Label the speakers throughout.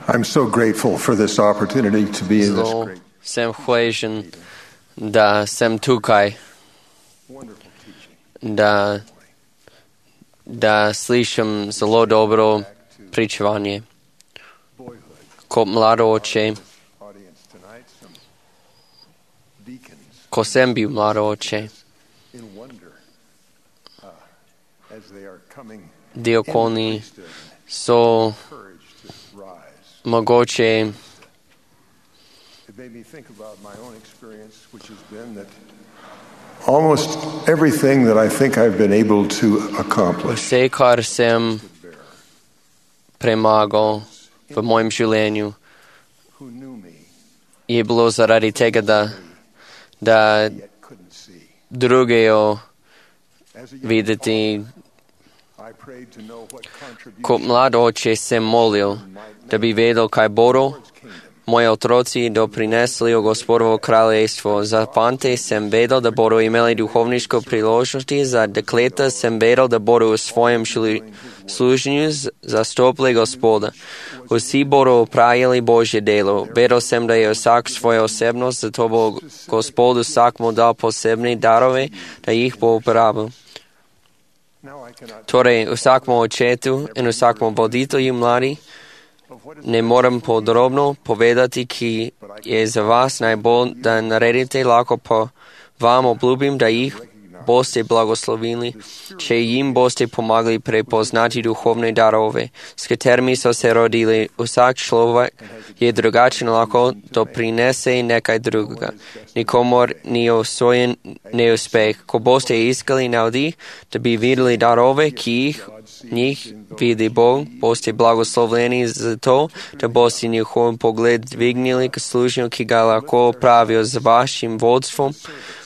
Speaker 1: I'm so grateful for this opportunity to be in this
Speaker 2: Zelo
Speaker 1: great,
Speaker 2: sem hvaležen, da sem tukaj,
Speaker 1: wonderful teaching.
Speaker 2: da slišim zelo dobro pričevanje.
Speaker 1: Boyhood.
Speaker 2: Kot mlado oče,
Speaker 1: Audience tonight, some deacons
Speaker 2: ko sem bil mlado oče,
Speaker 1: in wonder as they are coming
Speaker 2: diakoni
Speaker 1: priesthood,
Speaker 2: so
Speaker 1: courage to rise.
Speaker 2: mogoče
Speaker 1: It made me think about my own experience, which has been that almost everything that I think I've been able to accomplish
Speaker 2: vse, kar sem premagal v mojem življenju,
Speaker 1: who knew me
Speaker 2: je bilo zaradi tega, da
Speaker 1: yet couldn't see.
Speaker 2: drugejo
Speaker 1: As a young
Speaker 2: videti.
Speaker 1: I prayed to know what contribution
Speaker 2: Kot mlad oče sem molil, da bi vedel, kaj bodo
Speaker 1: towards kingdom.
Speaker 2: moji otroci doprinesli v Gospodovo kraljestvo. Za fante sem vedel, da bodo imeli duhovniško priložnosti, za dekleta sem vedel, da bodo v svojem služenju zastopili Gospoda. Vsi bodo opravili Božje delo. Vedel sem, da je vsak svojo osebnost, zato bo Gospod vsakmu dal posebne darove, da jih bo uporabil.
Speaker 1: Now I cannot
Speaker 2: Torej, vsakmu očetu in vsakmu voditelju mladi
Speaker 1: of what is
Speaker 2: ne morem podrobno povedati, ki je za vas najbolj, da naredite, lahko pa vam obljubim, da jih boste blagoslovili, če jim boste pomagali prepoznati duhovne darove, s katerimi so se rodili. Vsak človek je drugačen, lahko doprinese nekaj drugega. Nikomor ni usvojen neuspeh. Ko boste iskali navdih, da bi videli darove, ki njih vidi Bog, boste blagoslovljeni za to, da boste njihov pogled dvignili k služnju, ki ga lahko opravijo z vašim vodstvom.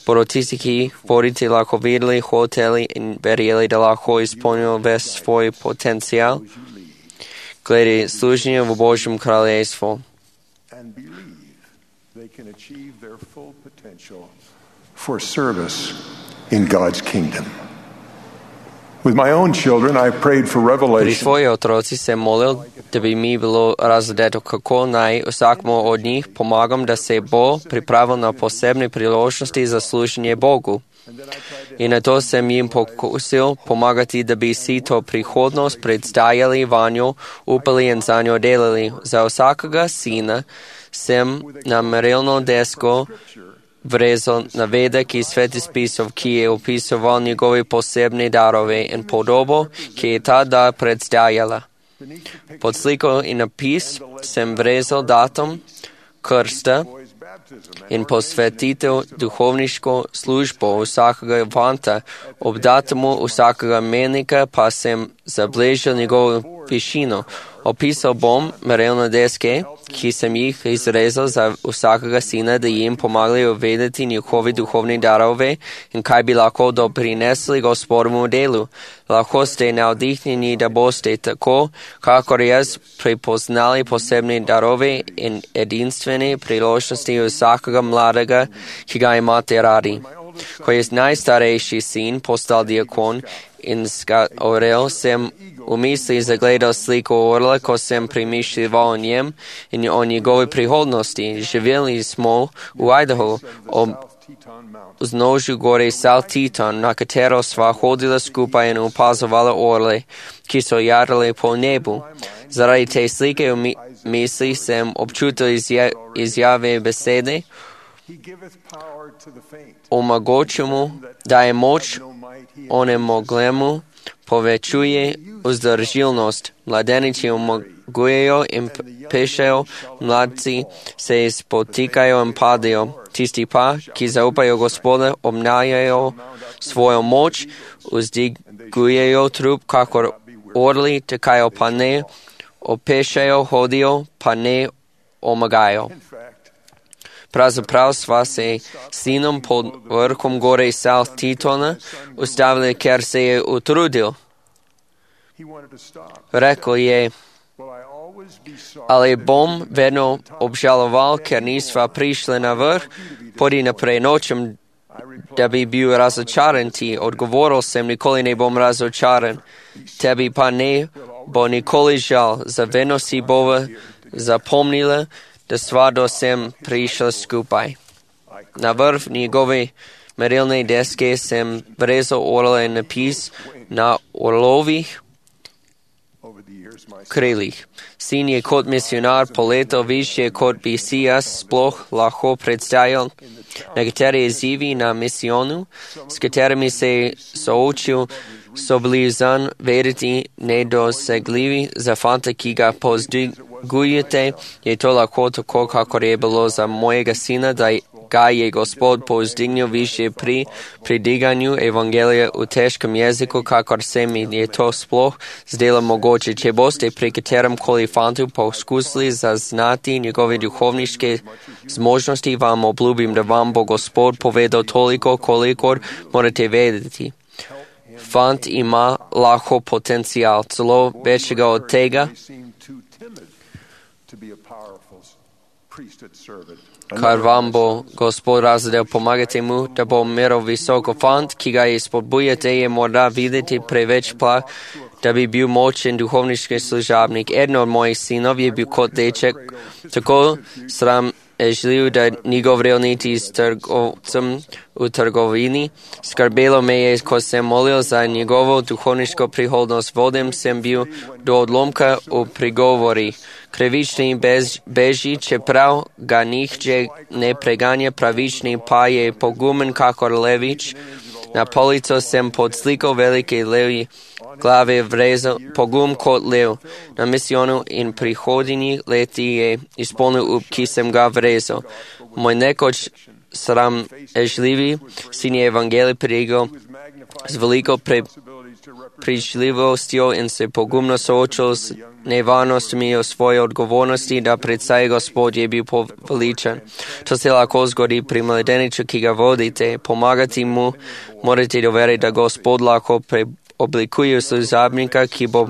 Speaker 2: Bodo tisti, ki jih vodite, lahko videli, hoteli in verjeli, da lahko izpolnijo ves svoj potencial glede služenja v Božjem kraljestvu.
Speaker 1: and believe they can achieve their full potential for service in God's kingdom. With my own children, I prayed for
Speaker 2: Pri
Speaker 1: revelation
Speaker 2: svojih otroci sem molil, da bi mi bilo razdeto, kako naj vsakmu od njih pomagam, da se bo pripravil na posebne priložnosti za služenje Bogu. In na to sem jim pokusil pomagati, da bi si to prihodnost predstavljali vanjo, upali in za njo delali. Za vsakega sina sem na merilno desko vrezal navedek iz Svetih spisov, ki je opisoval njegove posebne darove in podobo, ki je ta dar predstavljala. Pod sliko in napis sem vrezal datum krsta
Speaker 1: boys' baptism
Speaker 2: in posvetitev duhovniško službo vsakega fanta. Ob datumu vsakega menika pa sem zabeležil njegovo višino. Opisal bom merilne deske, ki sem jih izrezal za vsakega sina, da jim pomagali uvedeti njihovi duhovni darove in kaj bi lahko doprinesli Gospodovemu delu. Lahko ste navdihnjeni, da boste tako, kakor jaz, prepoznali posebne darove in edinstvene priložnosti vsakega mladega, ki ga imate radi. Ko je najstarejši sin postal diakon in orel, sem v misli zagledal sliko orla, ko sem premišljeval o njem in o njegovi prihodnosti. Živeli smo v Idaho, ob
Speaker 1: Teton Mountain.
Speaker 2: vznožju gore South Teton, na katero sva hodila skupaj in opazovala orle, ki so jarali po nebu. Zaradi te slike v misli sem občutil izjave besede,
Speaker 1: He giveth power to the faint.
Speaker 2: omogočil mu, da je moč
Speaker 1: No might he
Speaker 2: onemoglemu, povečuje vzdržilnost. Mladeniči omogujejo in pešejo, mladci se spotikajo in padajo. Tisti pa, ki zaupajo Gospoda, obnajajo svojo moč, vzdigujejo trup, kakor orli, tekajo pa ne, opešajo, hodijo pa ne omagajo.
Speaker 1: in fact
Speaker 2: Pravzaprav sva se sinom pod vrhom gore South Tetona ustavili, ker se je utrudil.
Speaker 1: he wanted to stop.
Speaker 2: Rekl je,
Speaker 1: Will I always be sorry
Speaker 2: ali
Speaker 1: that
Speaker 2: bom vedno obžaloval, ker nisva prišli na vrh, podi naprej nočem, da bi bil razočaran ti. Odgovoril sem, nikoli ne bom razočaran. Tebi pa ne bo nikoli žal, za vedno si bova zapomnila da stvarno sem prišla skupaj. Na vrh njegove merilne deske sem vrezal orle napis na orlovih krilih. Sin je kot misionar poletel više, kot bi si jaz sploh lahko predstavljal. Nekateri izzivi na misijonu, s katerimi se soočil, so bili zanj verjeti nedosegljivi. Za fanta, ki ga povzdigujete, je to lahko tako, kakor je bilo za mojega sina, da ga je Gospod povzdignil više pri prediganju evangelija v težkem jeziku, kakor se mi je to sploh zdelo mogoče. Če boste pri katerem koli fantu poskusili zaznati njegove duhovniške zmožnosti, vam obljubim, da vam bo Gospod povedal toliko, kolikor morate vedeti. Fant ima lahko potencial, celo večjega od tega, kar vam bo Gospod razdelil. Pomagajte mu, da bo meral visoko. Fant, ki ga spodbujate, je morda videti preveč plah, da bi bil močen duhovniški služabnik. Eden od mojih sinov je bil kot deček, tako sramežljiv, da ni govoril niti s trgovcem v trgovini. Skrbelo me je, ko sem molil za njegovo duhovniško prihodnost. Vodem sem bil do odlomka v prigovorih. Krivični beži, čeprav ga nihče ne preganja, pravični pa je pogumen kakor levič. Na polico sem pod sliko velike levji glave vrezal pogum kot lev. Na misijonu in prihodnjih leti je izpolnil up, ki sem ga vrezal. Moj nekoč sramežljivi sin je evangelij predigal z veliko pričljivostjo in se pogumno soočil z nevarnostmi o svoje odgovornosti, da predvsej Gospod je bil poveličan. To se lahko zgodi pri mladeniču, ki ga vodite. Pomagati mu morate doveriti, da Gospod lahko oblikuje služabnika, ki bo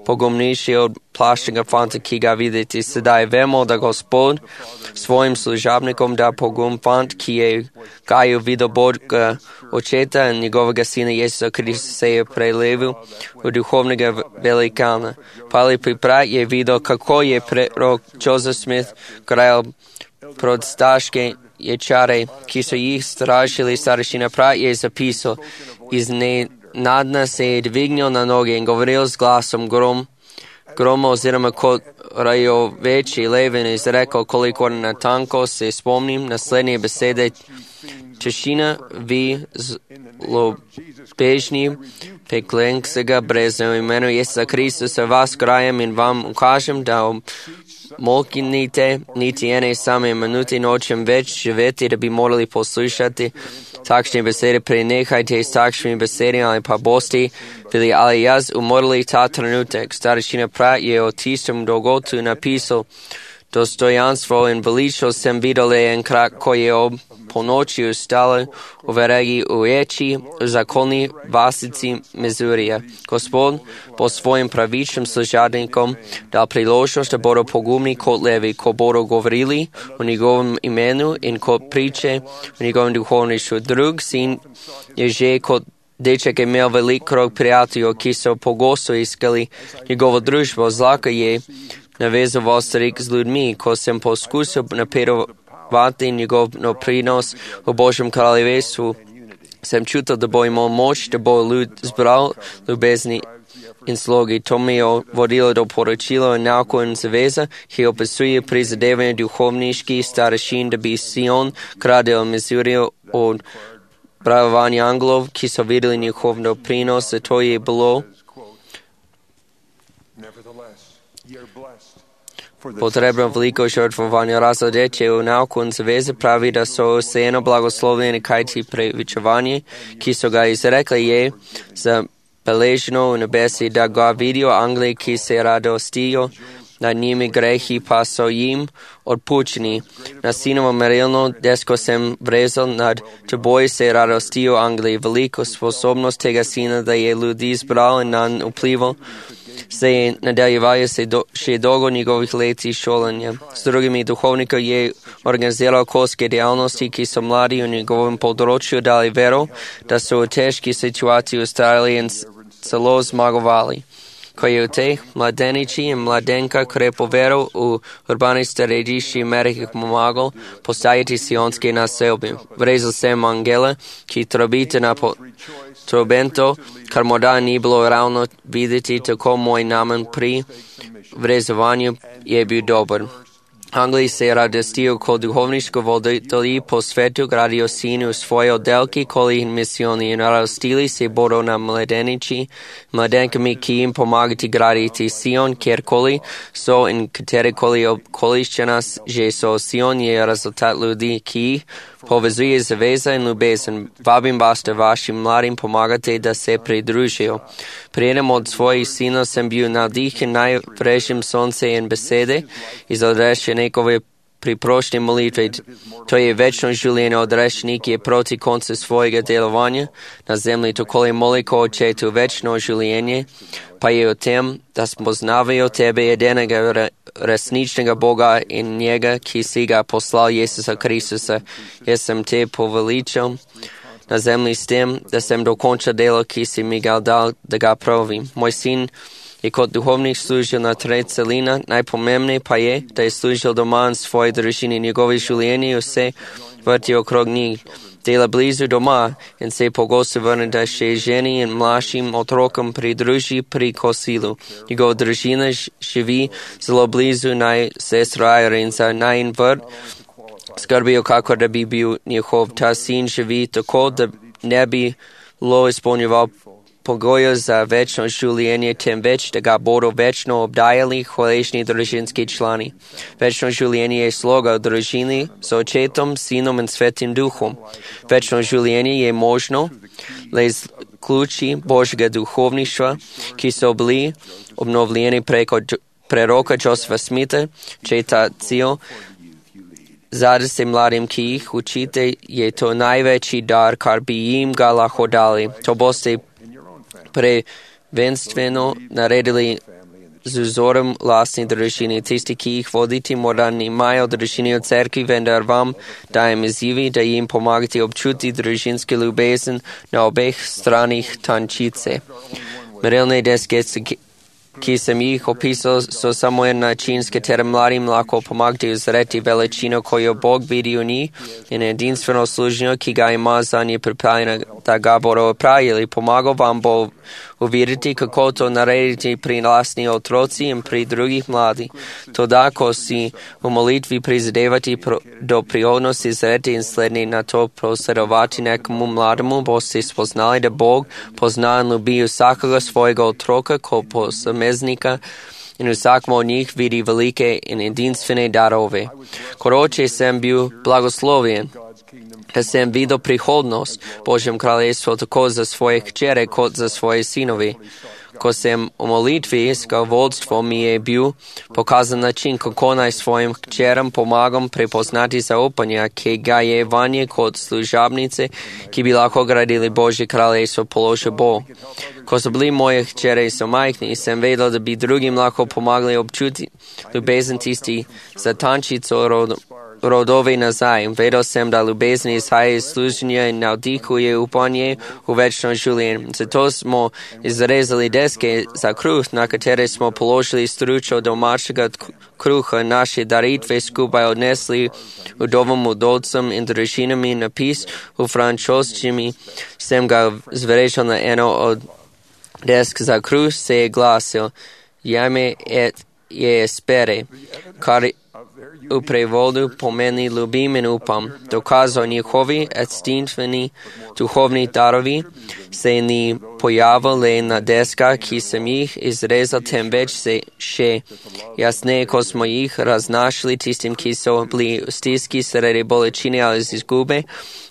Speaker 2: pogumnejši od plaščnega fanta, ki ga vidite. Sedaj vemo, da Gospod svojim služabnikom da pogum fant, ki je gajil videl Boga očeta in njegovega sina Jezusa Krista se je prelevil v duhovnega velikana. Pali brat je videl, kako je prorok Joseph Smith krajal prostaške ječare, ki so jih strašili. Starešina brat je zapisal, iznenadna se je dvignil na noge in govoril z glasom groma oziroma kot rajoveči leven izrekel, koliko natanko se spomnim naslednje besede. Češina, vi zlobežni peklenskega brezna v imenu Jezusa Kristusa vas krajem in vam ukažem, da moknite niti ene same minute nočem več živeti, da bi morali poslušati takšne besede. Prenehajte s takšnimi besedami, ali pa boste bili ali jaz umrli ta trenutek. Starešina brat je o tistem dogodku napisal, dostojanstvo in veličo sem videl enkrat, ko je ob ponoči ustali v verigi uječi v zakolni vasici Mizurija. Gospod bo svojim pravičnim služabnikom dal priložnost, da bodo pogumni kot levi, ko bodo govorili o njegovem imenu in kot priče o njegovem duhovništvu. Drug sin je že kot deček imel velik krog prijateljev, ki so pogosto iskali njegovo družbo. Zlahka je navezoval strik z ljudmi, ko sem poskusil napredovati njegov prinos v Božjem kraljestvu. Sem čutil, da bo imel moč, da bo ljud zbral ljubezni in slogi. To mi je vodilo do poročila in nauku in zaveza, ki opisuje prizadevanje duhovniških starešin, da bi Sion, kralj Mizurija, od bravovanja anglov, ki so videli njihov doprinos, zato je bilo potrebno veliko žrtvovanja. Razladeče v nauku in zaveze pravi, da so vseeno blagoslovljeni, kajti prepričevanje, ki so ga izrekli, je zabeleženo v nebesi, da ga vidijo angeli, ki se radostijo nad njimi, grehi pa so jim odpuščeni. Na sinovo merilno desko sem vrezal, nad teboj se radostijo angeli. Veliko sposobnost tega sina, da je ljudi zbral in nanj vplival, se je nadaljevajo še dolgo njegovih leti šolanja. S drugimi duhovniki je organiziral okoljske dejavnosti, ki so mladi v njegovem področju dali vero, da so v težki situaciji ustrajali in celo zmagovali. Кои младеничи и младенка креповеро у урбаните редищи мерих помагал поставити сионски населби. Врезал сем ангела, ки трубите на трубенто, кармода ни било равно видите, тако мой намен при врезаванию е бил добър. Англии се радостил ко духовничко водители по свету градио сину свои отделки, коли мисиони нарастили се боро на младеничи, младенками, ки им помагати градити Сион, кер коли со ин катери колищена же со Сион е резултат люди, ки повезує завеза и любезен. Вабим вас да вашим младим помагате да се придружил. Приедем от свои сина съм бил надихен най-врежим сонце и беседе и задреше некове припрочни молитви. Той е вечно жулиен одрешник и е проти конца своего делования на земли, то коли моли ко Отчету вечно жулиение, па е от тем да спознавaju тебе единega resničnega Boga in njega, ki si ga poslal Jezusa Kristusa. Jaz sem te poveličal na zemlji s tem, da sem dokončal delo, ki si mi ga dal, da ga pravim. Moj sin je kot duhovnik služil na 3 celina, najpomembnejše pa je, da je služil doma in svoji družini, njegovi življenji vse vrti okrog njih. Dela blizu doma in se pogosto vrne da še ženi in mlajšim otrokom pridruži pri kosilu. Njegova družina živi zelo blizu sestra in za najin vrt skrbijo, kako da bi bil njihov. Ta sin živi tako, da ne bi lo izpolnjeval pogoje za večno življenje, temveč da ga bodo večno obdajali hvaležni družinski člani. Večno življenje je sloga v družini z Očetom, Sinom in Svetim Duhom. Večno življenje je možno le z ključi Božjega duhovništva, ki so bili obnovljeni preko preroka Josefa Smitha, če ta cilj zade se mladim, ki jih učite, je to največji dar, kar bi jim ga lahko dali. To boste prvenstveno naredili z vzorom lastni družini. Tisti, ki jih vodite, morda nimajo družini v cerkvi, vendar vam dajem izzivi, da jim pomagate občuti družinske ljubezen na obeh stranih tančice. Merilne deske, ki sem jih opisal, so samo en način, s katerim mladim lahko pomagate uzreti veličino, ko jo Bog vidi v njih in edinstveno služenje, ki ga ima za nje pripravljeno, da ga bodo opravili. Pomagal vam bo uvideti, kako to narediti pri lastni otroci in pri drugih mladih. Toda, ko si v molitvi prizadevati do prihodnosti zreti in sledni na to prosledovati nekomu mlademu, boste spoznali, da Bog pozna in ljubi vsakega svojega otroka kot posameznika in vsakmo od njih vidi velike in edinstvene darove. Kot oče sem bil blagoslovljen, da sem videl prihodnost Božjem kraljestvu tako za svoje hčere kot za svoje sinovi. Ko sem v molitvi iskal vodstvo, mi je bil pokazan način, kako naj svojim hčeram pomagam prepoznati zaupanja, ki ga je vanje kot služabnice, ki bi lahko gradili Božje kraljestvo, položil Bog. Ko so bili moje hčere so majhni, sem vedel, da bi drugim lahko pomagali občuti ljubezen tisti za tančico rodove nazaj. Vedel sem, da ljubezen izhaja iz služenja in navdihuje upanje v večno življenje. Zato smo izrezali deske za kruh, na katere smo položili stručo domačega kruha, naše daritve skupaj odnesli vdovom, udovcem in družinami. Napis v francoščini sem ga zverežil na eno od desk za kruh, se je glasil Jame et je espere, kar v prevodu pomeni ljubim in upam. Dokazal njihovi edinstveni duhovni darovi se ni pojavil le na deskah, ki sem jih izrezal, temveč se še jasneje, ko smo jih raznašali tistim, ki so bili v stiski sredi bolečine ali izgube,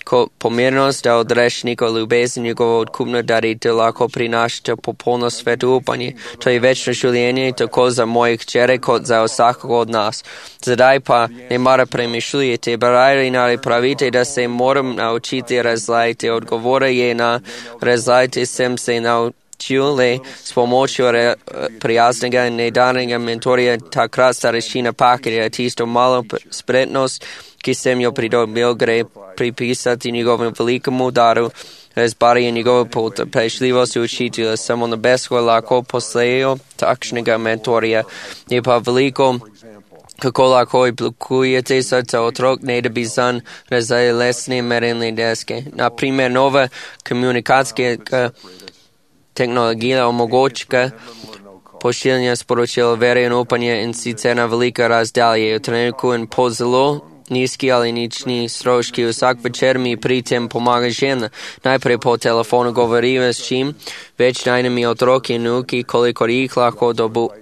Speaker 2: ko pomirnost da odrešnika ljubezen njegovo odkupno daritev lahko prinašate popolno svetu upanje. To je večno življenje tako za moje hčere kot za vsakega od nas. Zdaj pa ne mara premišljujete, barajali ali pravite, da se moram naučiti razlajati. Odgovore je na razlajati sem se naučil le s pomočjo prijaznega in nedanega mentorja, takrat starešina Pakirja, tisto malo spretnost, ki sem jo pridobil, gre pripisati njegovemu velikemu daru разбаря негова потрпеливост и учителя, само небесного лако послею такшнега ментория, и по-велико kako lako implikujete srca otrok, ne da bi zanj razvili lesne merilne deske. Naprimer, nova komunikacijska tehnologija omogoča pošiljanje sporočil vere in upanja in sicer na velika razdalje. V trenutku in po zelo nizki ali nični stroški. Vsak večer mi pri tem pomaga žena. Najprej po telefonu govoriva s čim več najnimi otroki in vnuki, kolikor jih lahko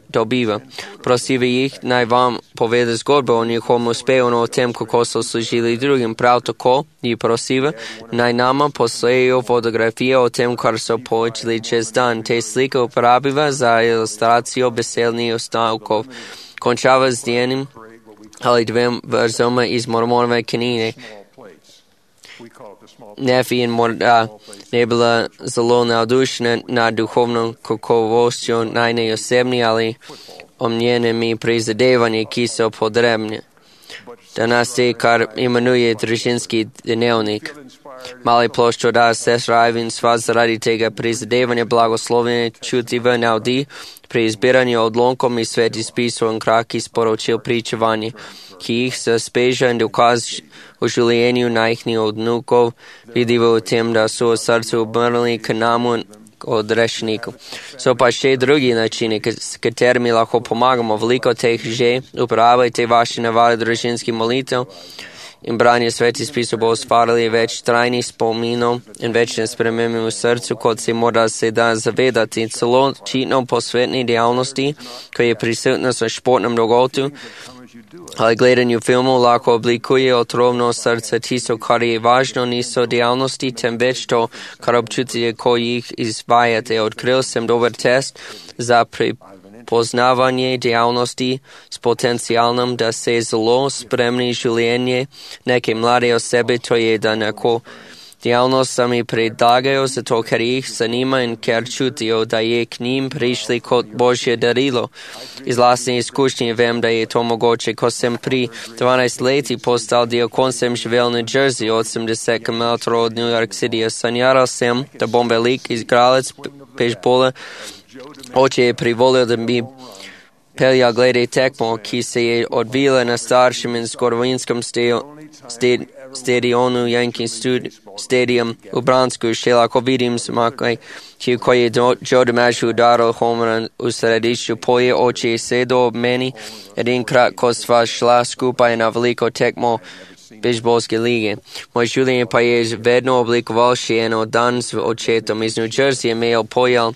Speaker 2: dobiva. Prosiva jih, naj vam povede zgodbo o njihovem uspehu in o tem, kako so služili drugim. Prav tako jih prosiva, naj nama poslejo fotografije o tem, kar so poučili čez dan. Te slike uporabiva za ilustracijo besednih ostavkov. Končava z enim ali dvem verzoma iz Mormonove knjige. Nefi in morda ne bila zelo navdušena nad duhovno kakovostjo najne osebni ali omnjenimi prizadevanji, ki so potrebni. Danas je, kar imenuje družinski dnevnik. Mali ploščo da sestra Ivan sva zaradi tega prizadevanja blagoslovljene čutiva navdi pri izbiranju odlomkom iz svetih spisov in kratkih sporočil pričevanja, ki jih se speža in dokaz o življenju najhnih odnukov vidiva v tem, da so v srcu obrnili k namu odrešniku. So pa še drugi načini, s katerimi lahko pomagamo. Veliko teh že uporabljajte vaše navade družinskih molitev in branje svetih spisov bo ustvarili več trajnih spominov in večne spremembe v srcu, kot se mora sedaj zavedati. Celo očitno po svetni dejavnosti, ko je prisutnost v športnem dogodku ali gledanju filmov, lahko oblikuje otrovno srce. Tisto, kar je važno, niso dejavnosti, temveč to, kar občutite, ko jih izvajate. Odkril sem dober test za poznavanje dejavnosti s potencialom, da se zelo spremni življenje neke mlade osebe, to je, da neko dejavnost sami predlagajo, zato ker jih zanima in ker čutijo, da je k njim prišli kot Božje darilo. Iz lastne izkušnje vem, da je to mogoče. Ko sem pri 12 leti postal diakon, sem živel v New Jersey, 80 km od New York City. Sanjaral sem, da bom velik igralec pejsbola. Oče je privolil, da bi peljal glede tekmo, ki se je odvila na staršem in zgodovinskem stadionu Yankee Stadium v Bransku. Še lahko vidim zmakaj, ko je Joe DiMaggio udaril homer v središču polje. Oče je sedel ob meni edinkrat, ko sva šla skupaj na veliko tekmo bejzbolske lige. Moj življenje pa je vedno oblikoval še eno dan z očetom. Iz New Jersey je imel pojel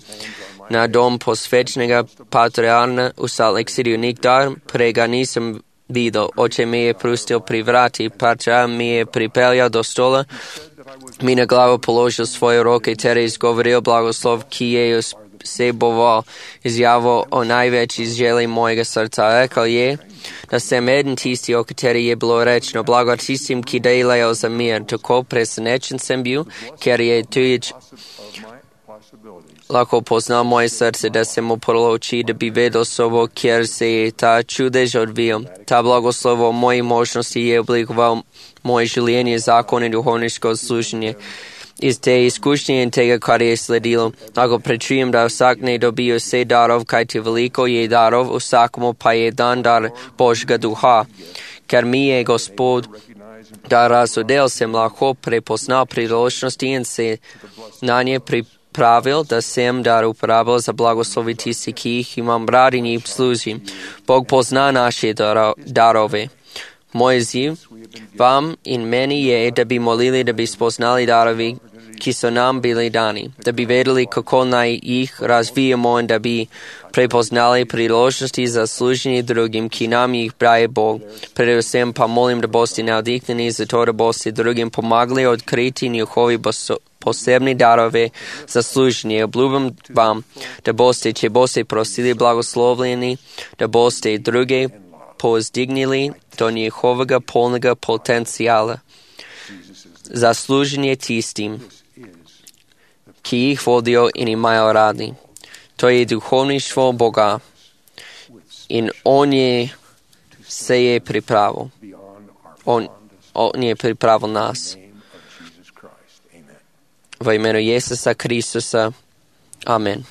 Speaker 2: na dom posvečnega patriarha v Salt Lake City. Nikdar prej ga nisem videl. Oče me je pustil pri vrati. Patriarh mi je pripeljal do stola, mi na glavo položil svoje roke ter izgovoril blagoslov, ki je vseboval izjavo o največji želji mojega srca. Rekel je, da sem eden tisti, o kateri je bilo rečeno, blago tistim, ki delajo za mir. Tako presenečen sem bil, ker je tujič lahko poznal moje srce, da sem uprl oči, da bi vedel sobo, kjer se je ta čudež odvijal. Ta blagoslov o moji možnosti je oblikoval moje življenje, zakon in duhovniško služenje. Iz te izkušnje in tega, kar je sledilo, lahko prečujem, da vsak ne dobi vse darov, kajti veliko je darov, vsakому pa je dan dar Božjega duha. Ker mi je Gospod dar razodel, sem lahko prepoznal priložnosti in se na nje pripravil, da sem dar uporabil za blagoslovi tisti, ki jih imam rad in jih služim. Bog pozna naše darove. Moj ziv vam in meni je, da bi molili, da bi spoznali darovi, ki so nam bili dani, da bi vedeli, kako naj jih razvijamo in da bi prepoznali priložnosti za služenje drugim, ki nam jih daje Bog. Predvsem pa molim, da boste navdihnjeni za to, da boste drugim pomagali odkriti njihovi posebni darove za služenje. Obljubim vam, da boste, če boste prosili blagoslovljeni, da boste druge povzdignili do njihovega polnega potencijala za služenje tistim, ki jih vodijo in imajo radi. To je duhovništvo Boga in On je pripravil. On je pripravil nas. Во ім'я Ісуса Христоса. Амин.